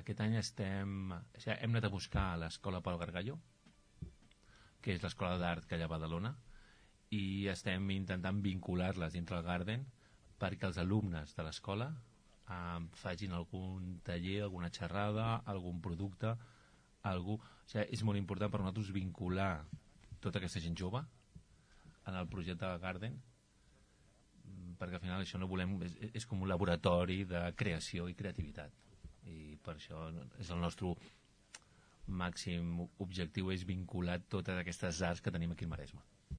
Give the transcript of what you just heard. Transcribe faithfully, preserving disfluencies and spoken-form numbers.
aquest any estem... O sigui, hem anat a buscar a l'Escola Pau Gargallo, que és l'escola d'art que hi ha a Badalona, i estem intentant vincular-les dintre el Garden perquè els alumnes de l'escola eh, facin algun taller, alguna xerrada, algun producte, algú... O sigui, és molt important per nosaltres vincular tota aquesta gent jove en el projecte del Garden, perquè al final això no volem... És, és com un laboratori de creació i creativitat, i per això és el nostre màxim objectiu, és vincular totes aquestes arts que tenim aquí al Maresme.